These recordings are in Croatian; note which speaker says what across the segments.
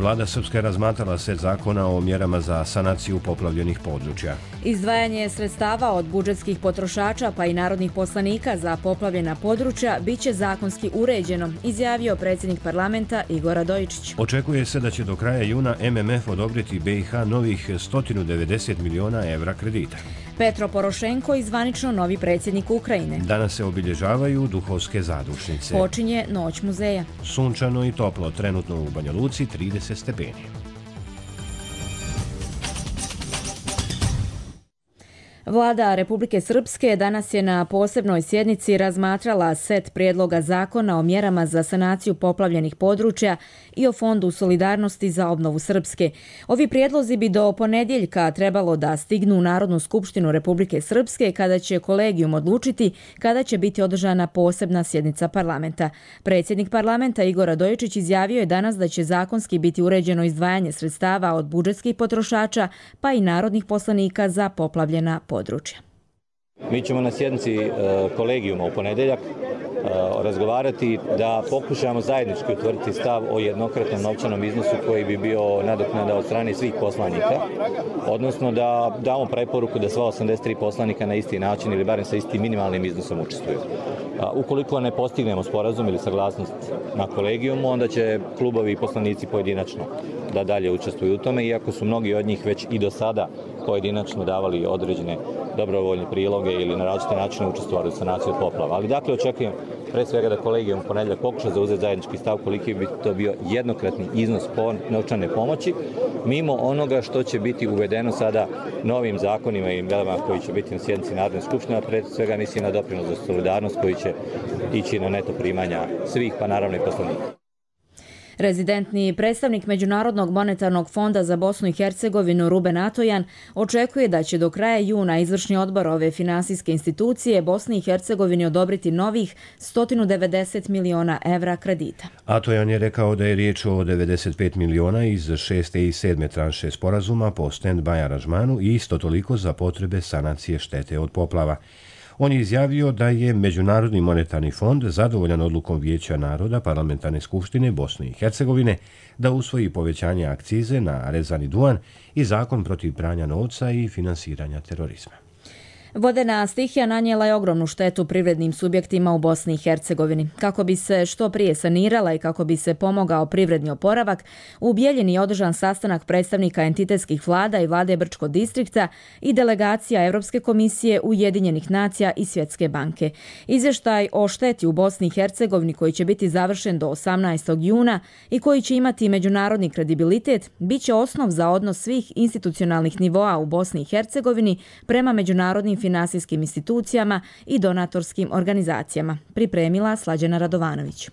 Speaker 1: Vlada Srpske razmatrala set zakona o mjerama za sanaciju poplavljenih područja.
Speaker 2: Izdvajanje sredstava od budžetskih potrošača pa i narodnih poslanika za poplavljena područja biće zakonski uređeno, izjavio predsjednik parlamenta Igor Radojičić.
Speaker 1: Očekuje se da će do kraja juna MMF odobriti BiH novih 190 miliona evra kredita.
Speaker 2: Petro Porošenko i zvanično novi predsjednik Ukrajine.
Speaker 1: Danas se obilježavaju duhovske zadušnice.
Speaker 2: Počinje Noć muzeja.
Speaker 1: Sunčano i toplo, trenutno u Banja Luci 30 stepeni.
Speaker 2: Vlada Republike Srpske danas je na posebnoj sjednici razmatrala set prijedloga zakona o mjerama za sanaciju poplavljenih područja i o Fondu solidarnosti za obnovu Srpske. Ovi prijedlozi bi do ponedjeljka trebalo da stignu u Narodnu skupštinu Republike Srpske kada će kolegijum odlučiti kada će biti održana posebna sjednica parlamenta. Predsjednik parlamenta Igor Radojičić izjavio je danas da će zakonski biti uređeno izdvajanje sredstava od budžetskih potrošača pa i narodnih poslanika za poplavljena područja.
Speaker 3: Mi ćemo na sjednici kolegijuma u ponedjeljak razgovarati da pokušamo zajednički utvrditi stav o jednokratnom novčanom iznosu koji bi bio nadoknada od strane svih poslanika, odnosno da damo preporuku da sva 83 poslanika na isti način ili barem sa istim minimalnim iznosom učestvuju. Ukoliko ne postignemo sporazum ili saglasnost na kolegijumu, onda će klubovi i poslanici pojedinačno da dalje učestvuju u tome, iako su mnogi od njih već i do sada pojedinačno davali određene dobrovoljne priloge ili na različite načine učestvovali u sanaciji od poplava. Ali dakle očekujem pre svega da kolegijum u ponedjeljak pokuša zauzeti zajednički stav koliki bi to bio jednokratni iznos novčane pomoći, mimo onoga što će biti uvedeno sada novim zakonima i mjerama koji će biti na sjednici Narodne skupštine, a pre svega mislim na doprinos za solidarnost koji će ići na neto primanja svih, pa naravno i poslanika.
Speaker 2: Rezidentni predstavnik Međunarodnog monetarnog fonda za Bosnu i Hercegovinu Ruben Atojan očekuje da će do kraja juna izvršni odbor ove finansijske institucije Bosni i Hercegovini odobriti novih 190 miliona evra kredita.
Speaker 1: Atojan je rekao da je riječ o 95 miliona iz 6. i 7. tranše sporazuma po stand-by aranžmanu i isto toliko za potrebe sanacije štete od poplava. On je izjavio da je Međunarodni monetarni fond zadovoljan odlukom Vijeća naroda Parlamentarne skupštine Bosne i Hercegovine da usvoji povećanje akcize na rezani duvan i zakon protiv pranja novca i finansiranja terorizma.
Speaker 2: Vodena stihija nanijela je ogromnu štetu privrednim subjektima u Bosni i Hercegovini. Kako bi se što prije sanirala i kako bi se pomogao privredni oporavak, u Bijeljini je održan sastanak predstavnika entitetskih vlada i vlade Brčko distrikta i delegacija Europske komisije, Ujedinjenih nacija i Svjetske banke. Izvještaj o šteti u Bosni i Hercegovini koji će biti završen do 18. juna i koji će imati međunarodni kredibilitet, bit će osnov za odnos svih institucionalnih nivoa u Bosni i Hercegovini prema međunarodnim finansijskim institucijama i donatorskim organizacijama, pripremila Slađana Radovanović.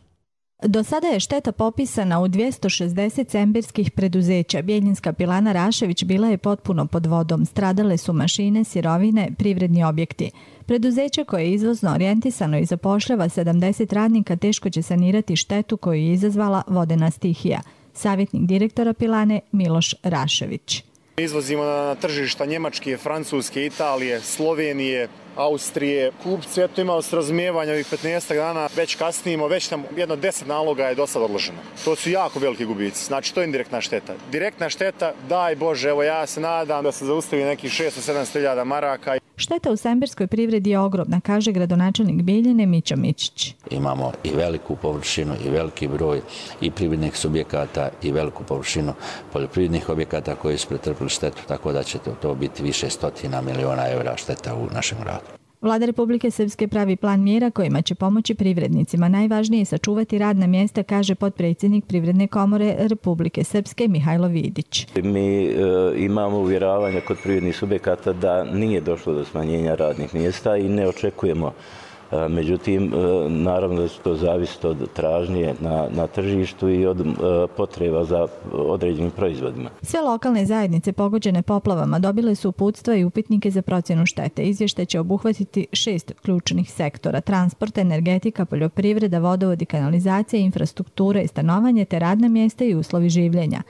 Speaker 4: Do sada je šteta popisana u 260 cembirskih preduzeća. Bijeljinska pilana Rašević bila je potpuno pod vodom. Stradale su mašine, sirovine, privredni objekti. Preduzeće koje je izvozno orijentisano i zapošljava 70 radnika teško će sanirati štetu koju je izazvala vodena stihija. Savjetnik direktora pilane Miloš Rašević.
Speaker 5: Izvozimo na tržišta Njemačke, Francuske, Italije, Slovenije, Austrije. Kupci imali s razumijevanja ovih 15 dana, već kasnimo, već nam jedno 10 naloga je do sad odloženo. To su jako veliki gubici, znači to je indirektna šteta. Direktna šteta, daj Bože, evo ja se nadam da se zaustavi nekih 600-700 hiljada maraka.
Speaker 4: Šteta u sembirskoj privredi je ogromna, kaže gradonačelnik Bijeljine Mića Mićić.
Speaker 6: Imamo i veliku površinu i veliki broj i privrednih subjekata i veliku površinu poljoprivrednih objekata koji su pretrpili štetu, tako da će to biti više stotina miliona evra šteta u našem gradu.
Speaker 4: Vlada Republike Srpske pravi plan mjera kojima će pomoći privrednicima. Najvažnije je sačuvati radna mjesta, kaže potpredsjednik Privredne komore Republike Srpske Mihajlo Vidić.
Speaker 7: Mi imamo uvjeravanja kod privrednih subjekata da nije došlo do smanjenja radnih mjesta i ne očekujemo. Međutim, naravno da to zavisi od tražnje na tržištu i od potreba za određenim proizvodima.
Speaker 4: Sve lokalne zajednice pogođene poplavama dobile su uputstva i upitnike za procjenu štete. Izvještaj će obuhvatiti 6 ključnih sektora: transport, energetika, poljoprivreda, vodovod i kanalizacija, infrastruktura i stanovanje te radna mjesta i uslovi življenja.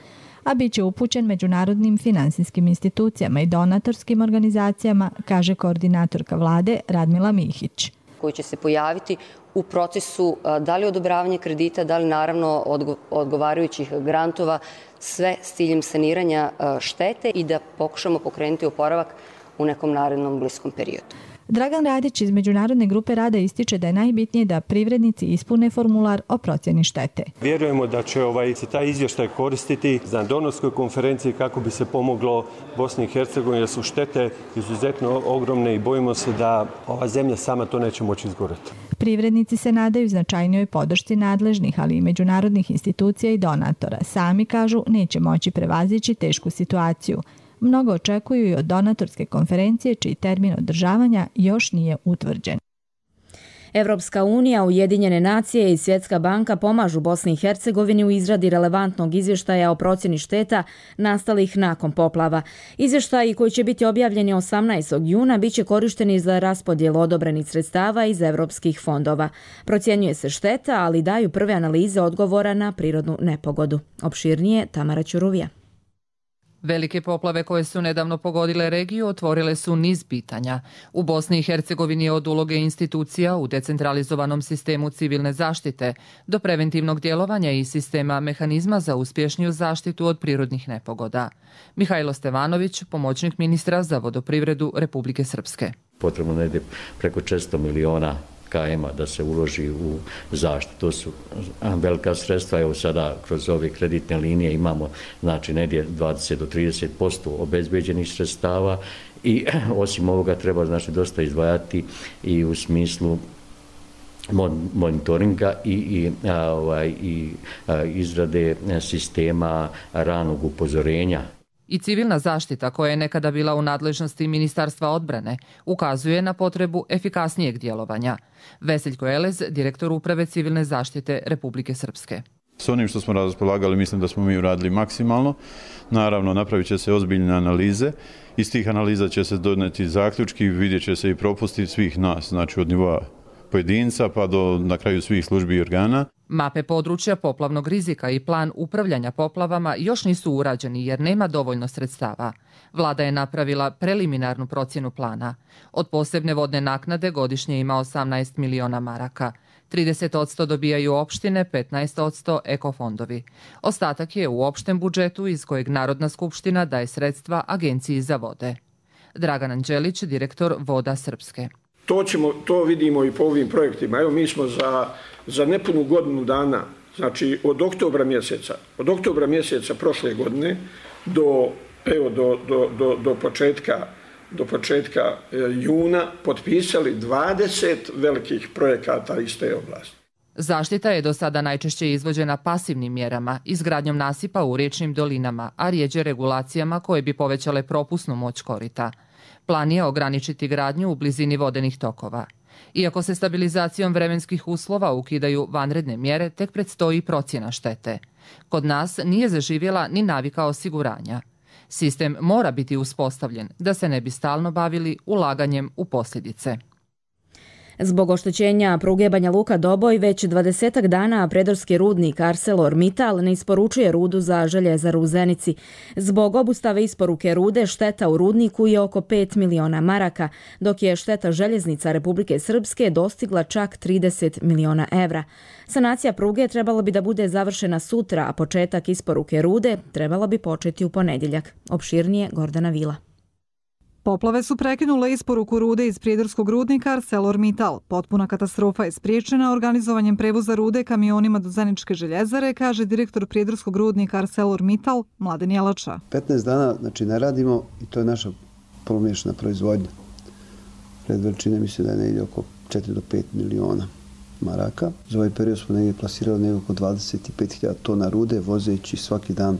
Speaker 4: A bit će upućen međunarodnim finansijskim institucijama i donatorskim organizacijama, kaže koordinatorka vlade Radmila Mihić.
Speaker 8: koji će se pojaviti u procesu da li odobravanje kredita, da li naravno odgovarajućih grantova, sve s ciljem saniranja štete i da pokušamo pokrenuti oporavak u nekom narednom bliskom periodu.
Speaker 4: Dragan Radić iz Međunarodne grupe rada ističe da je najbitnije da privrednici ispune formular o procjeni štete.
Speaker 9: Vjerujemo da će se taj izvještaj koristiti na donorskoj konferenciji kako bi se pomoglo Bosni i Hercegovini, jer su štete izuzetno ogromne i bojimo se da ova zemlja sama to neće moći izgoreti.
Speaker 4: Privrednici se nadaju značajnijoj podršci nadležnih, ali i međunarodnih institucija i donatora. Sami kažu neće moći prevazići tešku situaciju. Mnogo očekuju i od donatorske konferencije, čiji termin održavanja još nije utvrđen.
Speaker 2: Evropska unija, Ujedinjene nacije i Svjetska banka pomažu Bosni i Hercegovini u izradi relevantnog izvještaja o procjeni šteta nastalih nakon poplava. Izvještaji koji će biti objavljeni 18. juna bit će korišteni za raspodjelu odobrenih sredstava iz evropskih fondova. Procjenjuje se šteta, ali daju prve analize odgovora na prirodnu nepogodu. Opširnije Tamara Ćuruvija.
Speaker 10: Velike poplave koje su nedavno pogodile regiju otvorile su niz pitanja. U Bosni i Hercegovini od uloge institucija u decentralizovanom sistemu civilne zaštite do preventivnog djelovanja i sistema mehanizma za uspješniju zaštitu od prirodnih nepogoda. Mihajlo Stevanović, pomoćnik ministra za vodoprivredu Republike Srpske.
Speaker 11: Potrebno negdje preko 400 miliona KM-a da se uloži u zaštitu. To su velika sredstva. Evo sada kroz ove kreditne linije imamo znači negdje 20 do 30% obezbeđenih sredstava i osim ovoga treba znači dosta izdvajati i u smislu monitoringa i izrade sistema ranog upozorenja.
Speaker 10: I civilna zaštita, koja je nekada bila u nadležnosti Ministarstva odbrane, ukazuje na potrebu efikasnijeg djelovanja. Veseljko Elez, direktor Uprave civilne zaštite Republike Srpske.
Speaker 12: S onim što smo raspolagali, mislim da smo mi uradili maksimalno. Naravno, napravit će se ozbiljne analize. Iz tih analiza će se doneti zaključki, vidjet će se i propusti svih nas, znači od nivoa pojedinca pa do na kraju svih službi i organa.
Speaker 10: Mape područja poplavnog rizika i plan upravljanja poplavama još nisu urađeni jer nema dovoljno sredstava. Vlada je napravila preliminarnu procjenu plana. Od posebne vodne naknade godišnje ima 18 miliona maraka. 30% dobijaju opštine, 15% ekofondovi. Ostatak je u opštem budžetu iz kojeg Narodna skupština daje sredstva Agenciji za vode. Dragan Anđelić, direktor Voda Srpske.
Speaker 13: To vidimo i po ovim projektima. Evo mi smo za nepunu godinu dana, znači od oktobra mjeseca prošle godine do početka juna potpisali 20 velikih projekata iz te oblasti.
Speaker 10: Zaštita je do sada najčešće izvođena pasivnim mjerama, izgradnjom nasipa u riječnim dolinama, a rijeđe regulacijama koje bi povećale propusnu moć korita. Plan je ograničiti gradnju u blizini vodenih tokova. Iako se stabilizacijom vremenskih uslova ukidaju vanredne mjere, tek predstoji procjena štete. Kod nas nije zaživjela ni navika osiguranja. Sistem mora biti uspostavljen da se ne bi stalno bavili ulaganjem u posljedice.
Speaker 2: Zbog oštećenja pruge Banja Luka-Doboj već 20 dana predorski rudnik ArcelorMittal ne isporučuje rudu za željezaru u Zenici. Zbog obustave isporuke rude šteta u rudniku je oko 5 miliona maraka, dok je šteta željeznica Republike Srpske dostigla čak 30 miliona evra. Sanacija pruge trebala bi da bude završena sutra, a početak isporuke rude trebala bi početi u ponedjeljak. Opširnije Gordana Vila.
Speaker 14: Poplave su prekinule isporuku rude iz prijedorskog rudnika ArcelorMittal. Potpuna katastrofa je spriječena organizovanjem prevoza rude kamionima do Zeničke željezare, kaže direktor prijedorskog rudnika ArcelorMittal Mladen Jelača.
Speaker 15: 15 dana znači ne radimo i to je naša polumješana proizvodnja. Red veličine mislim da je negdje oko 4 do 5 miliona maraka. Za ovaj period smo negdje plasirali negdje oko 25.000 tona rude, vozeći svaki dan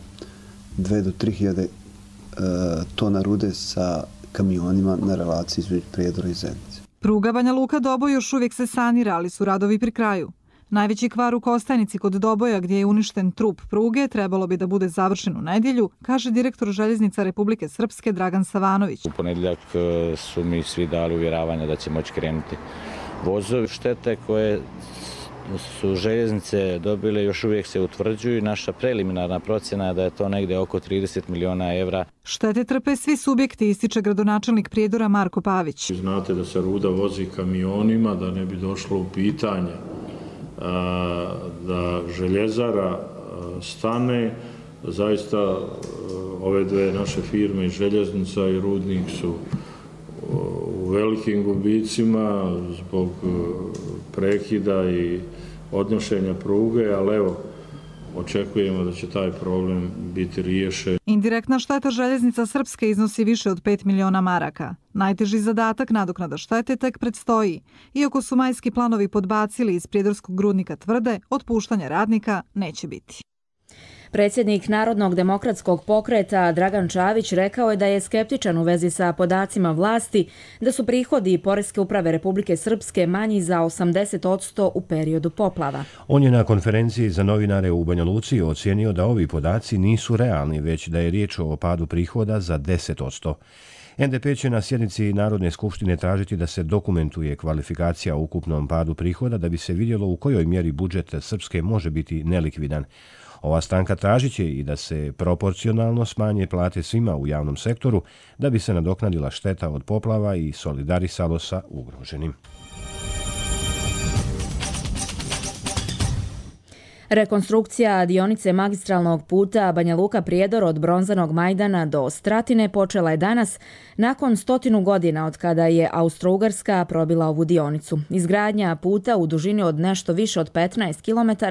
Speaker 15: 2 do 3.000 tona rude sa kamionima na relaciji između Prijedora i Zenice.
Speaker 14: Pruga Banja Luka-Doboj još uvijek se sanira, ali su radovi pri kraju. Najveći kvar u Kostajnici kod Doboja, gdje je uništen trup pruge, trebalo bi da bude završen u nedjelju, kaže direktor željeznica Republike Srpske Dragan Savanović.
Speaker 16: U ponedjeljak su mi svi dali uvjeravanja da će moći krenuti vozovi. Štete koje su željeznice dobile još uvijek se utvrđuju. Naša preliminarna procjena je da je to negdje oko 30 miliona evra.
Speaker 14: Štete trpe svi subjekti, ističe gradonačelnik Prijedora Marko Pavić.
Speaker 17: Znate da se ruda vozi kamionima, da ne bi došlo u pitanje da željezara stane. Zaista ove dve naše firme, željeznica i rudnik, su u velikim gubicima zbog prekida i odnošenja pruge, ali evo, očekujemo da će taj problem biti riješen.
Speaker 14: Indirektna šteta željeznica Srpske iznosi više od 5 miliona maraka. Najteži zadatak nadoknada štete tek predstoji. Iako su majski planovi podbacili iz prijedorskog rudnika, tvrde, otpuštanja radnika neće biti.
Speaker 2: Predsjednik Narodnog demokratskog pokreta Dragan Čavić rekao je da je skeptičan u vezi sa podacima vlasti da su prihodi Poreske uprave Republike Srpske manji za 80% u periodu poplava.
Speaker 1: On je na konferenciji za novinare u Banja Luci ocijenio da ovi podaci nisu realni, već da je riječ o padu prihoda za 10%. NDP će na sjednici Narodne skupštine tražiti da se dokumentuje kvalifikacija u ukupnom padu prihoda da bi se vidjelo u kojoj mjeri budžet Srpske može biti nelikvidan. Ova stranka tražit će i da se proporcionalno smanje plate svima u javnom sektoru da bi se nadoknadila šteta od poplava i solidarisalo sa ugroženim.
Speaker 2: Rekonstrukcija dionice magistralnog puta Banja Luka-Prijedor od Bronzanog Majdana do Stratine počela je danas nakon 100 godina od kada je Austro-Ugarska probila ovu dionicu. Izgradnja puta u dužini od nešto više od 15 km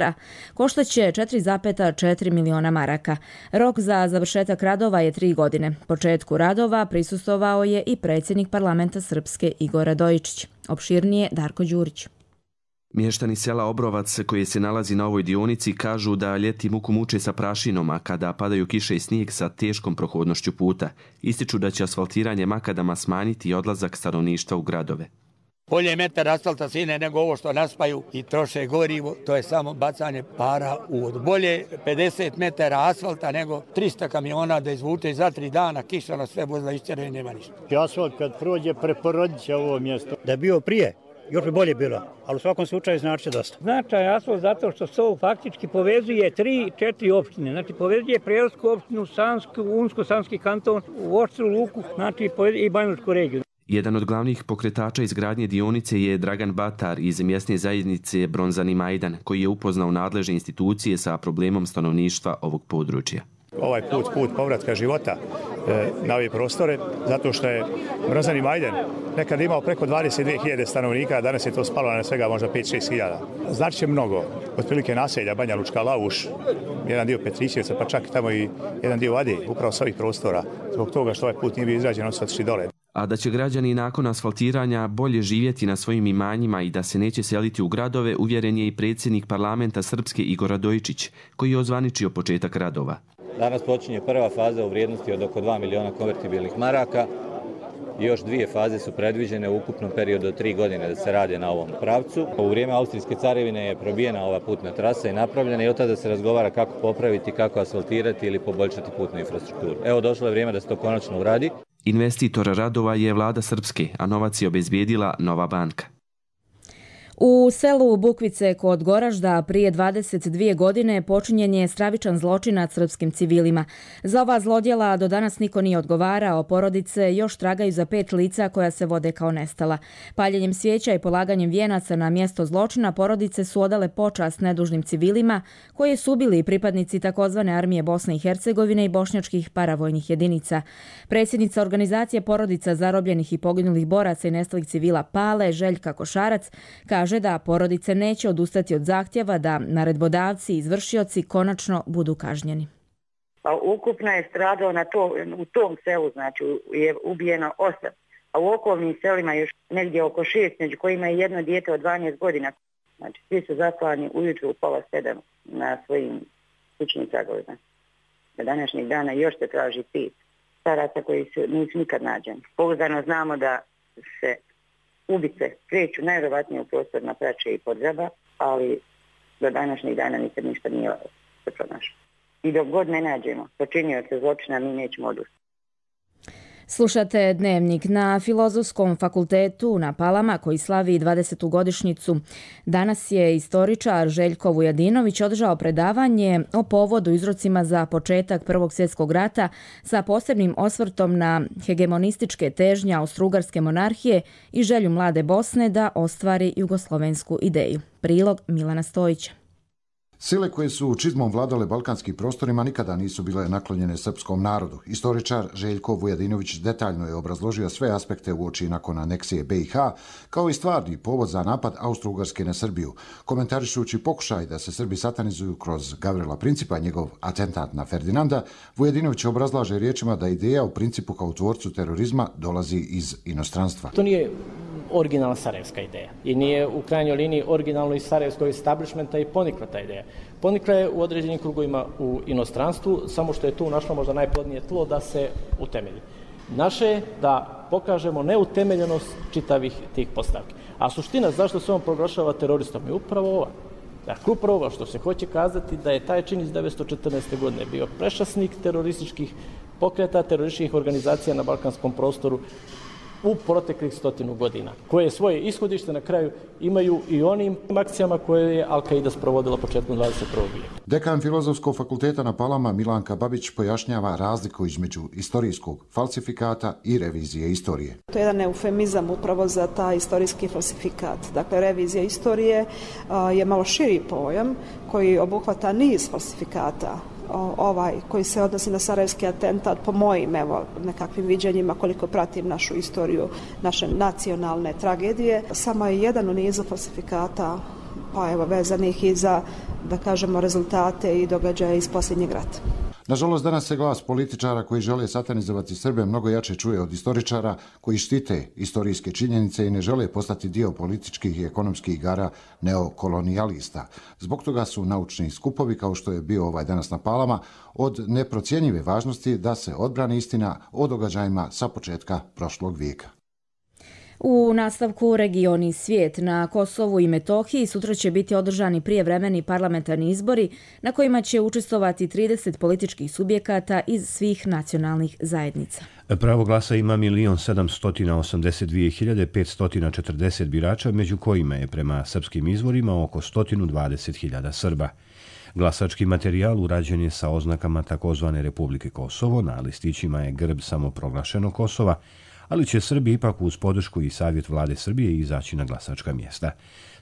Speaker 2: koštaće 4,4 miliona maraka. Rok za završetak radova je 3 godine. Početku radova prisustvovao je i predsjednik parlamenta Srpske Igor Radojičić. Opširnije Darko Đurić.
Speaker 18: Mještani sela Obrovac, koji se nalazi na ovoj dionici, kažu da ljeti muku muče sa prašinom, a kada padaju kiše i snijeg sa teškom prohodnošću puta. Ističu da će asfaltiranje makadama smanjiti odlazak stanovništva u gradove.
Speaker 19: Bolje je metar asfalta sine nego ovo što naspaju i troše gorivo, to je samo bacanje para u vodu. Bolje 50 metara asfalta nego 300 kamiona da izvuče za 3 dana, kiša na sve vozila išćere i nema ništa.
Speaker 20: Asfalt kad prođe preporodit će ovo mjesto. Da je bio prije, još bi bolje bilo, ali u svakom slučaju znači dosta.
Speaker 21: Značaj asfalt zato što se ovo faktički povezuje 3-4 opštine. Znači povezuje Prijedorsku opštinu, Sansku, Unsko-Sanski kanton, u Oštru Luku, znači i Banjalučku regiju.
Speaker 18: Jedan od glavnih pokretača izgradnje dionice je Dragan Batar iz mjesne zajednice Bronzani Majdan, koji je upoznao nadležne institucije sa problemom stanovništva ovog područja.
Speaker 22: Ovaj put povratka života na ove prostore, zato što je Bronzani Majdan nekad imao preko 22.000 stanovnika, a danas je to spalo na svega možda 5-6 hiljada. Znači će mnogo, otprilike naselja Banja Lučka, Lavuš, jedan dio Petrićevca, pa čak tamo i jedan dio Ade, upravo s ovih prostora, zbog toga što ovaj put nije bio izrađen, on su otišli dole.
Speaker 18: A da će građani nakon asfaltiranja bolje živjeti na svojim imanjima i da se neće seliti u gradove, uvjeren je i predsjednik parlamenta Srpske Igor Radojičić, koji je ozvaničio početak radova.
Speaker 3: Danas počinje prva faza u vrijednosti od oko 2 miliona konvertibilnih maraka. Još 2 faze su predviđene u ukupnom periodu od 3 godine da se rade na ovom pravcu. U vrijeme Austrijske carevine je probijena ova putna trasa i napravljena i od tada se razgovara kako popraviti, kako asfaltirati ili poboljšati putnu infrastrukturu. Evo došlo je vrijeme da se to konačno uradi.
Speaker 18: Investitor radova je vlada Srpske, a novac je obezbijedila Nova banka.
Speaker 2: U selu Bukvice kod Goražda prije 22 godine počinjen je stravičan zločin nad srpskim civilima. Za ova zlodjela do danas niko nije odgovarao, porodice još tragaju za 5 lica koja se vode kao nestala. Paljenjem svijeća i polaganjem vijenaca na mjesto zločina porodice su odale počast nedužnim civilima koje su bili pripadnici takozvane armije Bosne i Hercegovine i bošnjačkih paravojnih jedinica. Predsjednica organizacije porodica zarobljenih i poginulih boraca i nestalih civila Pale, Željka Košarac, kaže da porodice neće odustati od zahtjeva da naredbodavci i izvršioci konačno budu kažnjeni.
Speaker 23: Ukupno je stradao u tom selu, znači je ubijeno 8, a u okolnim selima još negdje oko 6, među kojima je jedno dijete od 12 godina. Znači svi su zaklani ujutru u 6:30 na svojim kućnim tragovima. Na današnjeg dana još se traži 5 staraca koji nisu nikad nađeni. Pouzdano znamo da se ubice kreću najvjerovatnije u prostor na Prače i Podgraba, ali do današnjeg dana nikad ništa nije se pronašlo. I dok god ne nađemo počinioce zločina, mi nećemo odustati.
Speaker 2: Slušate Dnevnik. Na Filozofskom fakultetu na Palama, koji slavi 20. godišnjicu, danas je istoričar Željko Vujadinović održao predavanje o povodu i uzrocima za početak Prvog svjetskog rata sa posebnim osvrtom na hegemonističke težnje Austro-Ugarske monarhije i želju mlade Bosne da ostvari jugoslovensku ideju. Prilog Milana Stojića.
Speaker 5: Sile koje su čizmom vladale balkanskim prostorima nikada nisu bile naklonjene srpskom narodu. Istoričar Željko Vujadinović detaljno je obrazložio sve aspekte uoči nakon aneksije BiH, kao i stvarni povod za napad Austro-Ugarske na Srbiju. Komentarišući pokušaj da se Srbi satanizuju kroz Gavrila Principa, njegov atentat na Ferdinanda, Vujadinović obrazlaže riječima da ideja u Principu kao tvorcu terorizma dolazi iz inostranstva.
Speaker 6: To nije originalna sarajevska ideja i nije u krajnjoj liniji originalno iz sarajevskog establishmenta i ponikla ta ideja. Ponikla je u određenim krugovima u inostranstvu, samo što je tu našlo možda najplodnije tlo da se utemelji. Naše je da pokažemo neutemeljenost čitavih tih postavki. A suština zašto se on proglašava teroristom je upravo ova. Dakle, upravo ovo što se hoće kazati da je taj čin iz 1914. godine bio prešasnik terorističkih pokreta, terorističkih organizacija na balkanskom prostoru u proteklih 100 godina, koje svoje ishodište na kraju imaju i onim akcijama koje je Al-Qaida sprovodila početkom 21. vijeka.
Speaker 5: Dekan Filozofskog fakulteta na Palama Milanka Babić pojašnjava razliku između istorijskog falsifikata i revizije istorije.
Speaker 7: To je jedan eufemizam upravo za taj istorijski falsifikat. Dakle, revizija istorije je malo širi pojam koji obuhvata niz falsifikata. Ovaj koji se odnosi na sarajevski atentat, po mojim nekakvim viđenjima, koliko pratim našu istoriju, naše nacionalne tragedije, samo je jedan u nizu falsifikata, pa vezanih i za, da kažemo, rezultate i događaje iz posljednjeg rata.
Speaker 5: Nažalost, danas se glas političara koji žele satanizovati Srbe mnogo jače čuje od istoričara koji štite istorijske činjenice i ne žele postati dio političkih i ekonomskih igara neokolonijalista. Zbog toga su naučni skupovi, kao što je bio ovaj danas na Palama, od neprocjenjive važnosti da se odbrani istina o događajima sa početka prošlog vijeka.
Speaker 2: U nastavku regioni i svijet. Na Kosovu i Metohiji sutra će biti održani prijevremeni parlamentarni izbori na kojima će učestvovati 30 političkih subjekata iz svih nacionalnih zajednica.
Speaker 1: Pravo glasa ima 1.782.540 birača, među kojima je prema srpskim izvorima oko 120.000 Srba. Glasački materijal urađen je sa oznakama takozvane Republike Kosovo, na listićima je grb samoproglašenog Kosova, ali će Srbi ipak uz podršku i savjet vlade Srbije izaći na glasačka mjesta.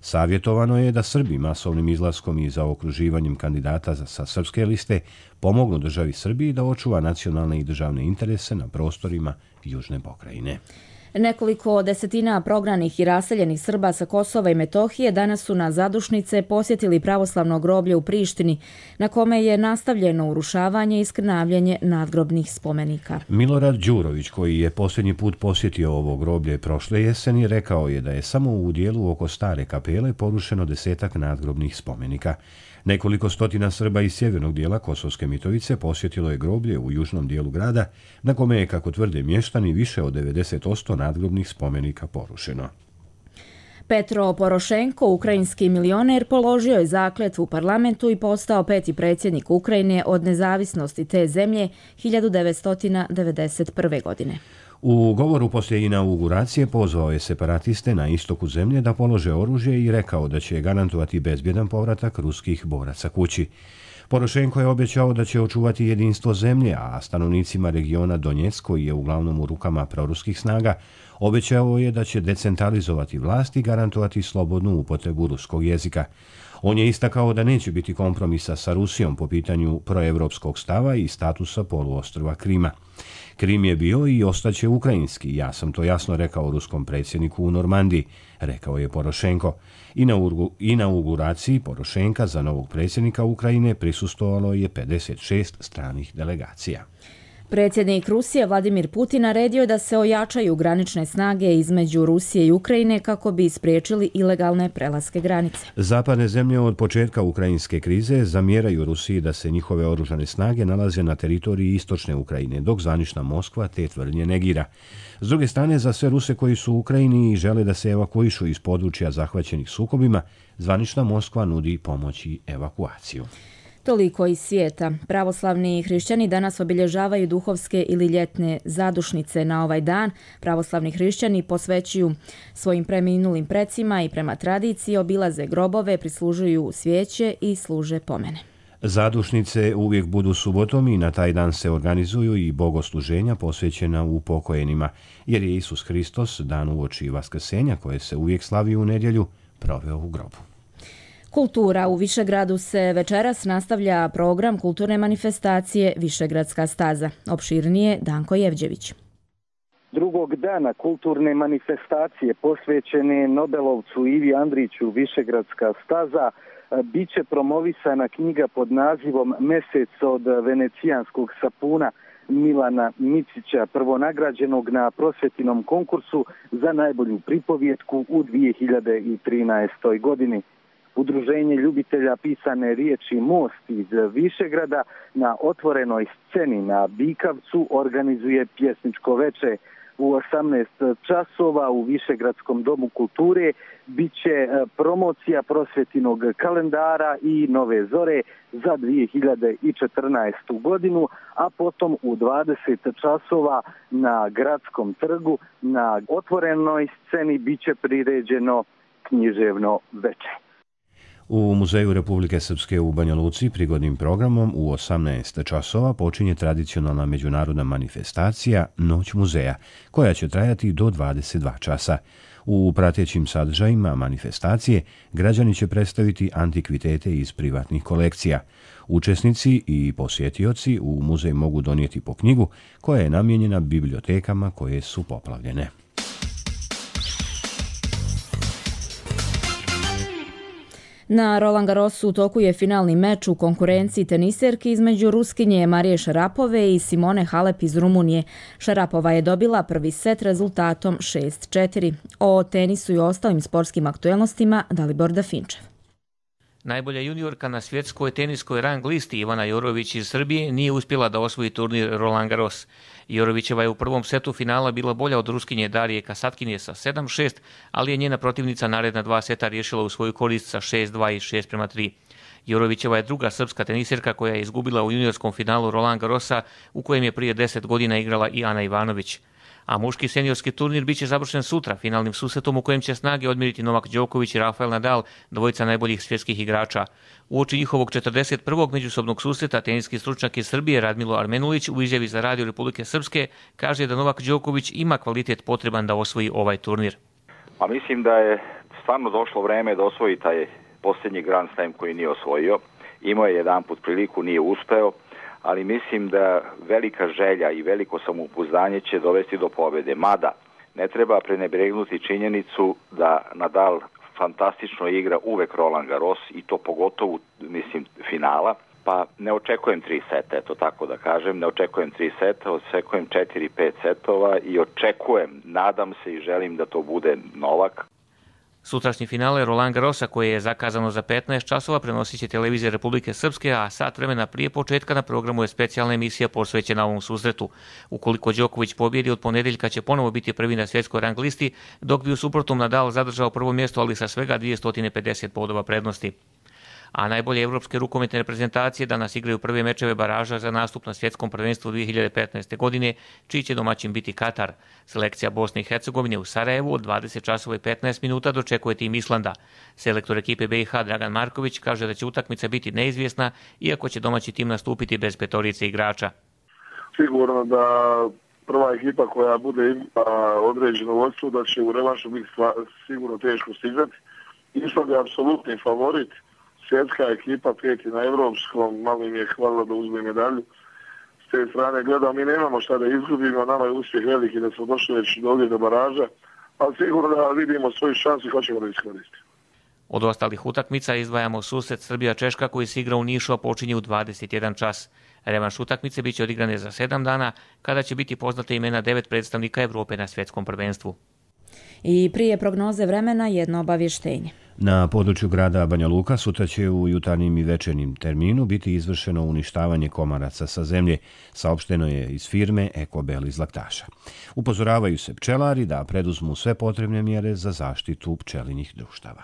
Speaker 1: Savjetovano je da Srbi masovnim izlaskom i zaokruživanjem kandidata sa srpske liste pomognu državi Srbiji da očuva nacionalne i državne interese na prostorima južne pokrajine.
Speaker 2: Nekoliko desetina prognanih i raseljenih Srba sa Kosova i Metohije danas su na zadušnice posjetili pravoslavno groblje u Prištini, na kome je nastavljeno urušavanje i skrnavljanje nadgrobnih spomenika.
Speaker 1: Milorad Đurović, koji je posljednji put posjetio ovo groblje prošle jeseni, rekao je da je samo u dijelu oko stare kapele porušeno 10-ak nadgrobnih spomenika. Nekoliko stotina Srba iz sjevernog dijela Kosovske Mitrovice posjetilo je groblje u južnom dijelu grada, na kome je, kako tvrde mještani, više od 90% nadgrobnih spomenika porušeno.
Speaker 2: Petro Porošenko, ukrajinski milioner, položio je zakletvu u parlamentu i postao 5. predsjednik Ukrajine od nezavisnosti te zemlje 1991. godine.
Speaker 1: U govoru poslije inauguracije pozvao je separatiste na istoku zemlje da polože oružje i rekao da će garantovati bezbjedan povratak ruskih boraca kući. Porošenko je obećao da će očuvati jedinstvo zemlje, a stanovnicima regiona Donjeck, koji je uglavnom u rukama proruskih snaga, obećao je da će decentralizovati vlast i garantovati slobodnu upotrebu ruskog jezika. On je istakao da neće biti kompromisa sa Rusijom po pitanju proevropskog stava i statusa poluostrva Krima. Krim je bio i ostaće ukrajinski, ja sam to jasno rekao ruskom predsjedniku u Normandiji, rekao je Porošenko. Inauguraciji Porošenka za novog predsjednika Ukrajine prisustvovalo je 56 stranih delegacija.
Speaker 2: Predsjednik Rusije Vladimir Putin naredio da se ojačaju granične snage između Rusije i Ukrajine kako bi spriječili ilegalne prelaske granice.
Speaker 1: Zapadne zemlje od početka ukrajinske krize zamjeraju Rusiji da se njihove oružane snage nalaze na teritoriji istočne Ukrajine, dok zvanična Moskva te tvrdnje negira. S druge strane, za sve Ruse koji su u Ukrajini i žele da se evakuišu iz područja zahvaćenih sukobima, zvanična Moskva nudi pomoć i evakuaciju.
Speaker 2: Toliko iz svijeta. Pravoslavni hrišćani danas obilježavaju duhovske ili ljetne zadušnice na ovaj dan. Pravoslavni hrišćani posvećuju svojim preminulim precima i prema tradiciji obilaze grobove, prislužuju svijeće i služe pomene.
Speaker 1: Zadušnice uvijek budu subotom i na taj dan se organizuju i bogosluženja posvećena upokojenima, jer je Isus Hristos dan uoči Vaskrsenja, koje se uvijek slavi u nedjelju, proveo u grobu.
Speaker 2: Kultura. U Višegradu se večeras nastavlja program kulturne manifestacije Višegradska staza. Opširnije Danko Jevđević.
Speaker 4: Drugog dana kulturne manifestacije posvećene Nobelovcu Ivi Andriću Višegradska staza biće promovisana knjiga pod nazivom Mesec od venecijanskog sapuna Milana Micića, prvonagrađenog na prosvjetinom konkursu za najbolju pripovjetku u 2013. godini. Udruženje ljubitelja pisane riječi Most iz Višegrada na otvorenoj sceni na Bikavcu organizuje pjesničko veče. U 18 časova u Višegradskom domu kulture bit će promocija prosvjetinog kalendara i nove zore za 2014. godinu, a potom u 20 časova na Gradskom trgu na otvorenoj sceni bit će priređeno književno veče.
Speaker 1: U Muzeju Republike Srpske u Banja Luci prigodnim programom u 18 časova počinje tradicionalna međunarodna manifestacija Noć muzeja, koja će trajati do 22 časa. U pratećim sadržajima manifestacije građani će predstaviti antikvitete iz privatnih kolekcija. Učesnici i posjetioci u muzej mogu donijeti po knjigu koja je namijenjena bibliotekama koje su poplavljene.
Speaker 2: Na Roland Garrosu u toku je finalni meč u konkurenciji teniserki između Ruskinje Marije Šarapove i Simone Halep iz Rumunije. Šarapova je dobila prvi set rezultatom 6-4. O tenisu i ostalim sportskim aktuelnostima Dalibor Dafinčev.
Speaker 8: Najbolja juniorka na svjetskoj teniskoj rang listi Ivana Jorović iz Srbije nije uspjela da osvoji turnir Roland Garros. Jorovićeva je u prvom setu finala bila bolja od Ruskinje Darije Kasatkinje sa 7-6, ali je njena protivnica naredna dva seta riješila u svoju korist sa 6-2 i 6-3. Jorovićeva je druga srpska teniserka koja je izgubila u juniorskom finalu Roland Garrosa, u kojem je prije 10 godina igrala i Ana Ivanović. A muški seniorski turnir biće završen sutra finalnim susretom u kojem će snage odmjeriti Novak Đoković i Rafael Nadal, dvojica najboljih svjetskih igrača. Uoči njihovog 41. međusobnog susreta teniski stručnjak iz Srbije Radmilo Armenulić u izjavi za Radio Republike Srpske kaže da Novak Đoković ima kvalitet potreban da osvoji ovaj turnir.
Speaker 9: Pa mislim da je stvarno došlo vreme da osvoji taj posljednji Grand Slam koji nije osvojio. Imao je jedanput priliku, nije uspeo, ali mislim da velika želja i veliko samopouzdanje će dovesti do pobjede. Mada ne treba prenebregnuti činjenicu da Nadal fantastično igra uvek Roland Garros i to pogotovo, mislim, finala. Pa ne očekujem 3 seta, eto tako da kažem, ne očekujem 3 seta, očekujem 4-5 setova i očekujem, nadam se i želim da to bude Novak.
Speaker 8: Sutrašnji finale Roland Garrosa koje je zakazano za 15 časova prenosit će televizija Republike Srpske, a sat vremena prije početka na programu je specijalna emisija posvećena ovom susretu. Ukoliko Đoković pobjedi od ponedjeljka će ponovo biti prvi na svjetskoj rang listi, dok bi u suprotnom Nadal zadržao prvo mjesto, ali sa svega 250 bodova prednosti. A najbolje evropske rukometne reprezentacije danas igraju prve mečeve baraža za nastup na svjetskom prvenstvu 2015. godine, čiji će domaćin biti Katar. Selekcija Bosne i Hercegovine u Sarajevu od 20 časova i 15 minuta dočekuje tim Islanda. Selektor ekipe BiH Dragan Marković kaže da će utakmica biti neizvjesna, iako će domaći tim nastupiti bez petorice igrača.
Speaker 24: Sigurno da prva ekipa koja bude imala određeno vodstvo da će u revanšu biti sigurno teško stigrati. Island je apsolutni favorit. Svjetska ekipa prijeti na evropskom, malo im je hvala da uzme medalju. S te strane gledam, mi nemamo šta da izgubimo, nama je uspjeh veliki da smo došli već ovdje do baraža, ali sigurno da vidimo svoju šansu i hoćemo da iskoristimo.
Speaker 8: Od ostalih utakmica izdvajamo susret Srbija-Češka koji se igra u Nišu, a počinje u 21 čas. Revanš utakmice biće odigrane za 7 dana, kada će biti poznate imena 9 predstavnika Evrope na svjetskom prvenstvu.
Speaker 2: I prije prognoze vremena jedno obavještenje.
Speaker 1: Na području grada Banja Luka sutra će u jutarnjim i večernjim terminu biti izvršeno uništavanje komaraca sa zemlje, saopšteno je iz firme Ekobel iz Laktaša. Upozoravaju se pčelari da preduzmu sve potrebne mjere za zaštitu pčelinjih društava.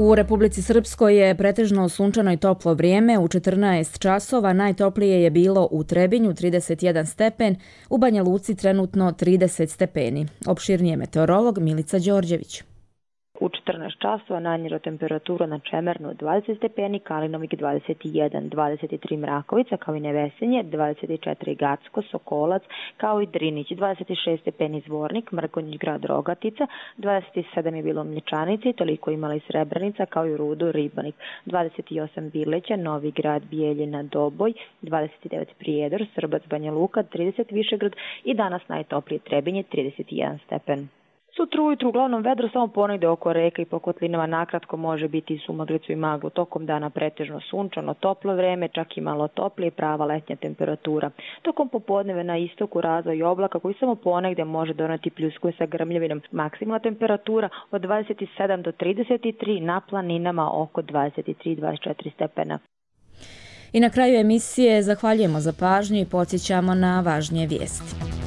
Speaker 2: U Republici Srpskoj je pretežno sunčano i toplo vrijeme. U 14 časova najtoplije je bilo u Trebinju 31 stepen, u Banja Luci trenutno 30 stepeni. Opširnije meteorolog Milica Đorđević.
Speaker 10: U 14 časova najniža temperatura na Čemernu 20 stepeni, Kalinovik 21, 23 Mrakovica, kao i Nevesenje, 24 Gacko, Sokolac, kao i Drinić, 26 stepeni Zvornik, Mrkonjić grad Rogatica, 27 je bilo Mlječanici, toliko imala i Srebrenica, kao i Rudo Ribanik, 28 Bileća, Novi grad, Bijeljina, Doboj, 29 Prijedor, Srbac, Banja Luka, 30 Višegrad i danas najtoplije Trebinje, 31 stepen. Sutra ujutru uglavnom vedro, samo ponegde oko reka i po kotlinama nakratko može biti i sumaglicu i maglu. Tokom dana pretežno sunčano, toplo vreme, čak i malo toplije, prava letnja temperatura. Tokom popodneve na istoku razvoj oblaka koji samo ponegde može doneti pljusku sa grmljavinom. Maksimalna temperatura od 27 do 33, na planinama oko 23-24 stepena.
Speaker 2: I na kraju emisije zahvaljujemo za pažnju i podsjećamo na važnije vijesti.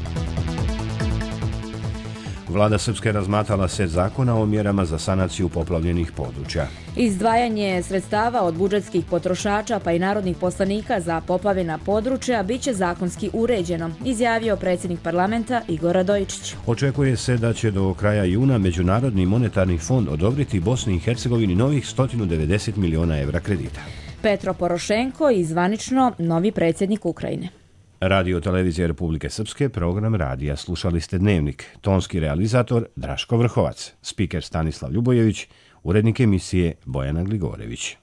Speaker 1: Vlada Srpske razmatrala set zakona o mjerama za sanaciju poplavljenih područja.
Speaker 2: Izdvajanje sredstava od budžetskih potrošača pa i narodnih poslanika za poplavljena područja biće zakonski uređeno, izjavio predsjednik parlamenta Igor Radojičić.
Speaker 1: Očekuje se da će do kraja juna Međunarodni monetarni fond odobriti Bosni i Hercegovini novih 190 miliona evra kredita.
Speaker 2: Petro Porošenko i zvanično novi predsjednik Ukrajine.
Speaker 1: Radio Televizija Republike Srpske, program radija. Slušali ste Dnevnik. Tonski realizator Draško Vrhovac, spiker Stanislav Ljubojević, urednik emisije Bojana Gligorević.